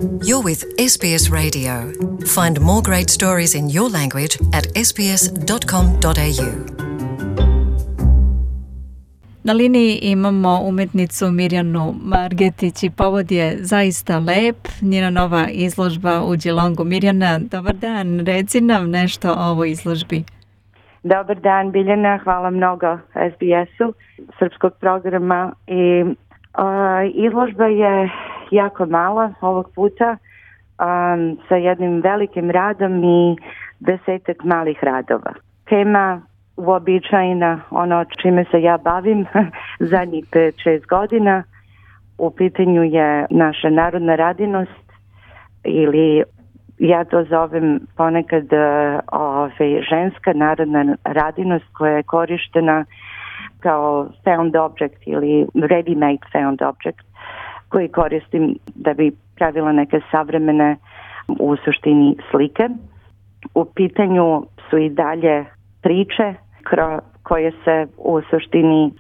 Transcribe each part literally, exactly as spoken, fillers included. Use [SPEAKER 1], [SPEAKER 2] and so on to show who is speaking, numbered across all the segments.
[SPEAKER 1] You're with S B S Radio. Find more great stories in your language at s b s dot com dot a u.
[SPEAKER 2] Na liniji imamo umetnicu Mirjanu Margetić i povod je zaista lep, njena nova izložba u Geelongu. Mirjana, dobar dan, reci nam nešto o ovoj izložbi.
[SPEAKER 3] Dobar dan, Biljana, hvala mnogo S B S-u, srpskog programa. I, uh, izložba je jako mala ovog puta, um, sa jednim velikim radom i desetak malih radova. Tema uobičajena, ono čime se ja bavim zadnjih pet šest godina, u pitanju je naša narodna radinost, ili ja to zovem ponekad ove, ženska narodna radinost koja je korištena kao found object ili ready-made found object, koji koristim da bi pravila neke savremene, u suštini, slike. U pitanju su i dalje priče koje se u suštini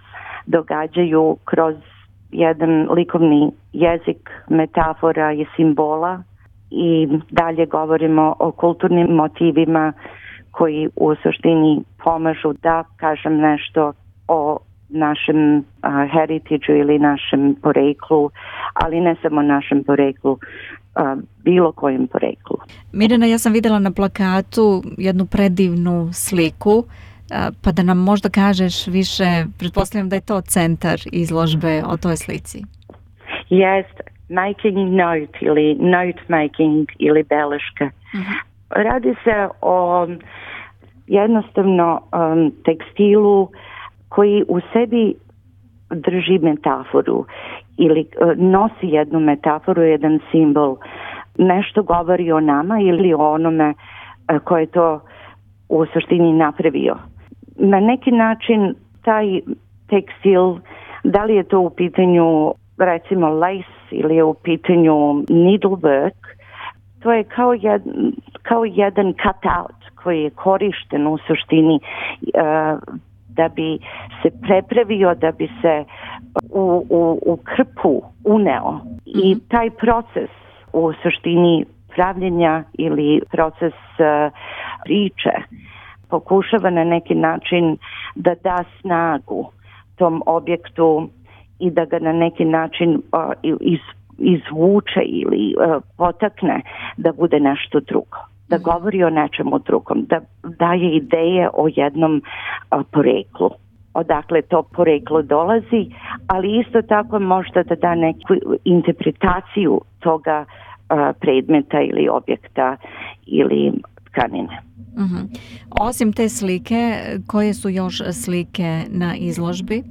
[SPEAKER 3] događaju kroz jedan likovni jezik, metafora i simbola, i dalje govorimo o kulturnim motivima koji u suštini pomažu da kažem nešto o našem uh, heritage ili našem poreklu, ali ne samo našem poreklu, uh, bilo kojem poreklu.
[SPEAKER 2] Mirjana, ja sam vidjela na plakatu jednu predivnu sliku, uh, pa da nam možda kažeš više, pretpostavljam da je to centar izložbe o toj slici.
[SPEAKER 3] Jest, making note ili note making ili beleška. Uh-huh. Radi se o jednostavno um, tekstilu koji u sebi drži metaforu ili uh, nosi jednu metaforu, jedan simbol. Nešto govori o nama ili o onome uh, ko je to u suštini napravio. Na neki način taj tekstil, da li je to u pitanju recimo lace ili je u pitanju needlework, to je kao, jed, kao jedan cut-out koji je korišten u suštini uh, da bi se prepravio, da bi se u, u, u krpu uneo. Mm-hmm. I taj proces u suštini pravljenja ili proces uh, priče pokušava na neki način da da snagu tom objektu i da ga na neki način uh, iz, izvuče ili uh, potakne da bude nešto drugo, da govori o nečemu drugom, da daje ideje o jednom uh, poreklu, odakle to poreklo dolazi, ali isto tako možda da da neku interpretaciju toga uh, predmeta ili objekta ili tkanine.
[SPEAKER 2] Uh-huh. Osim te slike, koje su još slike na izložbi?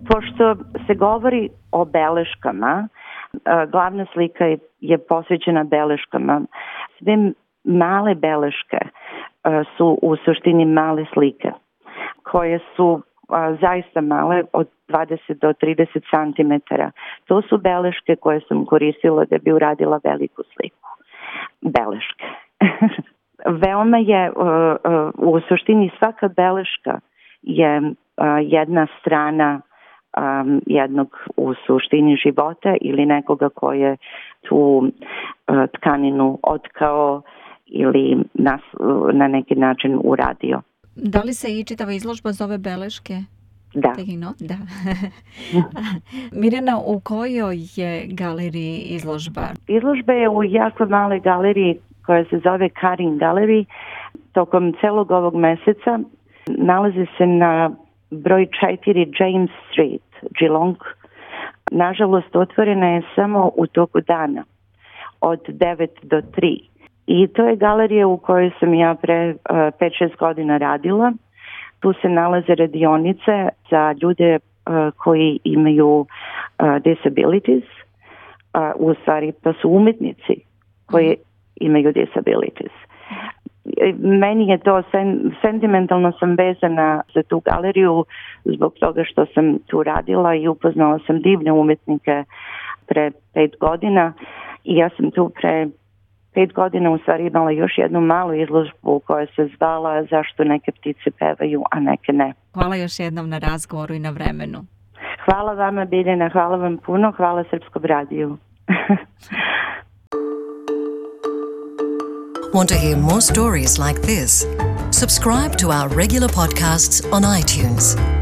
[SPEAKER 3] Pošto se govori o beleškama, glavna slika je, je posvećena beleškama. Sve male beleške su u suštini male slike, koje su zaista male, od dvadeset do trideset centimetara. To su beleške koje sam koristila da bi uradila veliku sliku. Beleške. Veoma je, u suštini svaka beleška je jedna strana Um, jednog u suštini života ili nekoga ko je tu uh, tkaninu otkao ili nas, uh, na neki način uradio.
[SPEAKER 2] Da li se i čitava izložba zove beleške?
[SPEAKER 3] Da.
[SPEAKER 2] Da. Mirjana, u kojoj je galeriji izložba?
[SPEAKER 3] Izložba je u jako maloj galeriji koja se zove Karin Gallery. Tokom celog ovog meseca nalazi se na broj četiri James Street, Geelong. Nažalost, otvorena je samo u toku dana, od devet do tri. I to je galerija u kojoj sam ja pre uh, pet šest godina radila. Tu se nalaze radionice za ljude uh, koji imaju uh, disabilities. Uh, u stvari, to su umetnici koji imaju disabilities. Meni je to sen, sentimentalno sam vezana za tu galeriju zbog toga što sam tu radila i upoznala sam divne umetnike pre pet godina i ja sam tu pre pet godina u stvari imala još jednu malu izložbu koja se zvala Zašto neke ptice pevaju, a neke ne.
[SPEAKER 2] Hvala još jednom na razgovoru i na vremenu.
[SPEAKER 3] Hvala vama, Biljana, hvala vam puno, hvala Srpskom radiju.
[SPEAKER 1] Want to hear more stories like this? Subscribe to our regular podcasts on iTunes.